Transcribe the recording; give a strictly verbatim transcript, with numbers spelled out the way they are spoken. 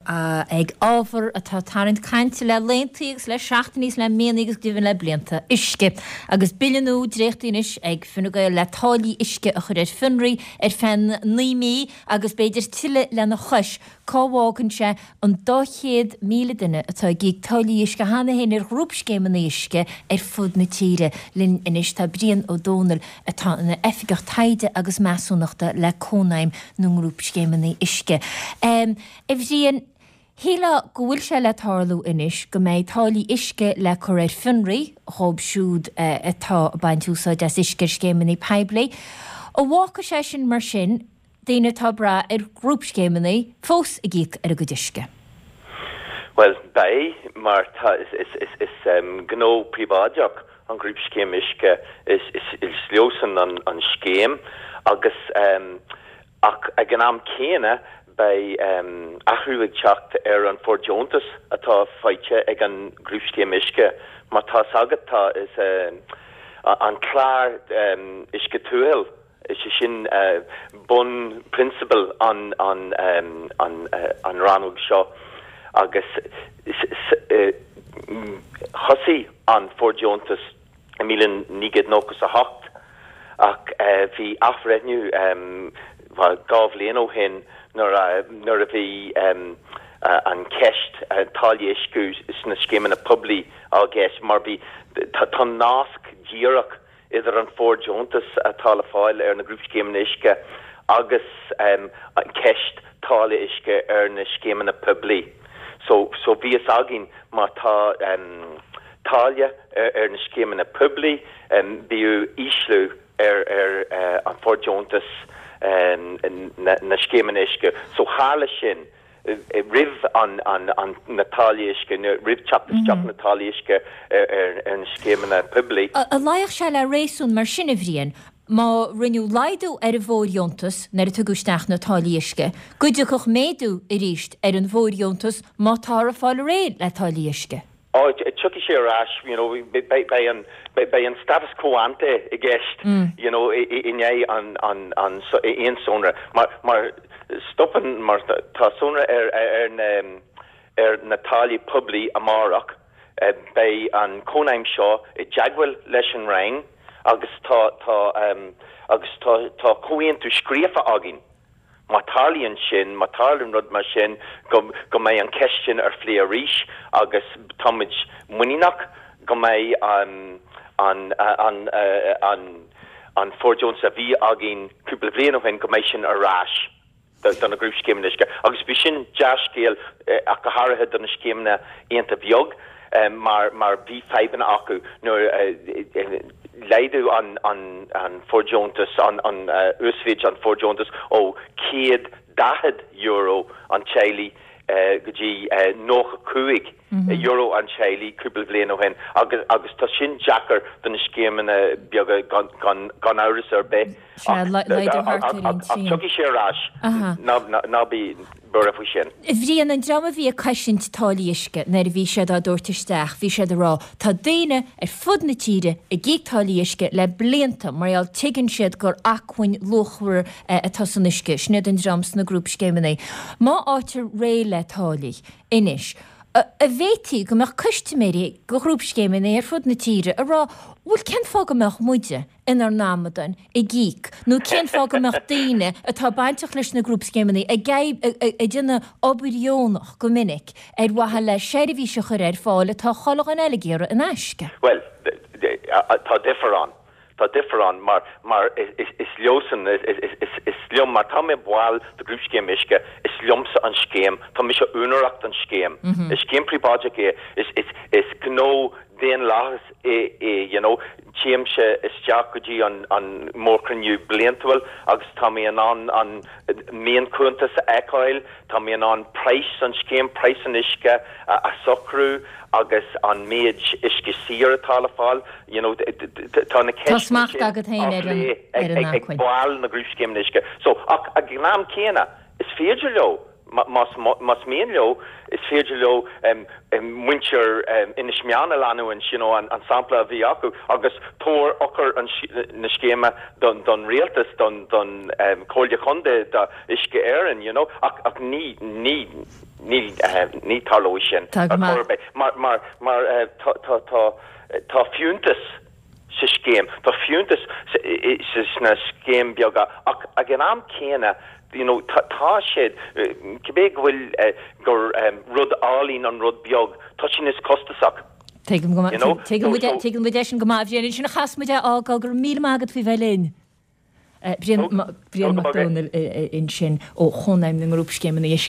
ag ábhar atá tarraingt cainte le laethanta agus le seachtainí is le míonna agus go deimhin le blianta uisce. Agus bille nua dréachtaithe anois ag Fine Gael le táillí uisce a chur ar fionraí ar feadh naoi mí agus b'fhéidir tuilleadh lena chois. Cá bhfágann sé an dá chéad míle duine atá ag íoc táillí uisce cheana féin ar ghrúpscéimeanna uisce ar fud na tíre? Linn anois tá Brian Ó Dónaill atá ina oifigeach taighde agus measúnachta le Cónaidhm na nGrúpscéimeanna Uisce. A Bhriain, shílfeá go bhfuil sé le tarlú anois go mbeidh táillí uisce le cur ar fionraí dhóibh siúd atá ag baint úsáid as uisce ar scéimeanna poiblí. An bhfágfaidh sé sin mar sin daoine atá ag brath ar ghrúpscéimeanna fós ag íoc ar a gcuid uisce? Bhuel, beidh, mar tá, is, is, is, is um, gnó príobháideach an ghrúpscéim uisce, is, is, is leosan an, an scéim agus um, ach ag an am céanna beidh um, athrú ag teacht ar an fóirdheontas atá faighte ag an grúpscéim uisce. Mar tá agat tá is uh, an clár um, uisce tuathail is é sin uh, bunphrionsabal an, an, um, an, uh, an rannóg seo agus uh, thosaigh an fóirdheontas i míle naoi gcéad nócha a hocht ach uh, bhí athbhreithniú um, dhá bhliain ó shin nuair a, nuair a bhí um, uh, an ceist uh, táille uisce sna scéimeanna poiblí á gceist mar bhí tá nasc díreach idir an fóirdheontas atá le fáil ar na grúpscéimeanna uisce agus um, an ceist táille uisce ar na scéimeanna poiblí. So, so bhí fhios againn má tá um, táille ar, ar na scéimeanna poiblí um, bhí ísliú ar, ar uh, an fóirdheontas um, na, na scéimeanna uisce. So tharla sin roimh an, an, an na táillí uisce roimh teacht isteach na táillí uisce ar, ar, ar na scéimeanna poiblí. An luífeadh sé le réasún mar sin a Bhriain, má rinneadh laghdú ar an bhfóirdheontas nuair a tugadh isteach na táillí uisce, go dtiocfadh méadú arís ar an bhfóirdheontas má táthar ag fáil réidh le táillí uisce. Ó tiocfaidh sé ar ais you know, beidh an beidh an status quo ante i gceist mm. you know, i ndiaidh an, an, an, aon sonra mar, mar stopann mar tá sonra ar, ar, ar, na, ar na táillí poiblí amárach eh, beidh an cónaidhm seo i dteagmháil leis an Roinn agus tá tá um, agus tá tá comhaontú scríofa againn. Má tarlaíonn sin, má tarlaíonn rud mar sin go, go mbeidh an ceist sin ar phlé arís agus táimid muiníneach go mbeidh um, an, an, an, an, an fóirdheontas a bhí againn cúpla bliain ó shin go mbeidh sin ar ais do na grúpscéimeanna uisce. Agus bhí sin dea-scéal eh, ach go háirithe do na scéimeanna iontach beag um, mar, mar bhí fadhbanna acu nuair uh, laghdú an, an, an fóirdheontas an, an uh, uasmhéid an fóirdheontas ó céad daichead euro an teaghlaigh uh, go dtí uh, nócha cúig mm -hmm. euro an teaghlaigh cúpla bliain ó shin agus agus tá sin deacair do na scéimeanna beaga gan, gan, gan amhras ar bith. Tiocfaidh sé ar ais ná bí buartha faoi sin. Bhriain an dream a bhí ag cosaint táillí uisce nuair a bhí siad á dtabhairt isteach, bhí siad ag rá tá daoine ar fud na tíre ag íoc táillí uisce le blianta mar gheall tuigeann siad gur acmhainn luachmhar atá san uisce, sin iad an dream sna grúpscéimeanna. Má fhaightear réidh le táillí anois. An bhféadfaí go mbeadh custaiméirí de ghrúpscéimeanna ar fud na tíre ag rá bhuel cén fáth go mbeadh muide inár n-amadáin ag íoc nó cén fáth go mbeadh daoine atá bainteach leis na grúpscéimeanna ag ag déanamh obair dheonach go minic ar mhaithe le seirbhís a chur ar fáil atá chuile dhuine eile ag iarraidh in aisce. Well, tá difear ann. Tá difear ann mar mar is, is leosan is, is, is, is liom mar tá mé ball de grúpscéim uisce is liomsa an scéim tá mise úinéireach den scéim. Mm -hmm. Is scéim príobháideach é is, is, is gnó daonlathas é, é you know, téimse isteach go dtí an, an mórchruinniú bliantúil agus tá mé in ann an mionchuntas a fheiceáil, tá mé in ann praghas an scéim praghas an uisce a, a socrú agus an méid uisce saor atá le fáil you know, tá na Tá smacht agat féin ar an ar an ag baill na grúpscéim uisce. So ach ag an am céanna is féidir leo Más más mian leo, is féidir leo muintir Inis Meáin a leanúint, you know, an sampla a bhí acu agus tabhair eochair na scéime don don rialtas, don don Chomhairle Chontae, do Uisce Éireann, you know, ach ach ní ní ní ní tarlóidh sin Tá go ar maith. chor ar bith mar mar mar tá tá tá tá fiúntas sa scéim, tá fiúntas sna scéim beaga ach ag an am céanna you know, tá tá siad cibé go bhfuil gur rud álainn an rud beag, tá sin is costasach. Tuigim go You know, tuigim so- so- tuigim muid é sin go maith Bhriain sin a chas muid é fhágáil go raibh míle maith agat faoi bheith linn. Brian Ó, Brian ó, Mac go Dónaill ansin ó Chónaidhm na nGrúpscéimeanna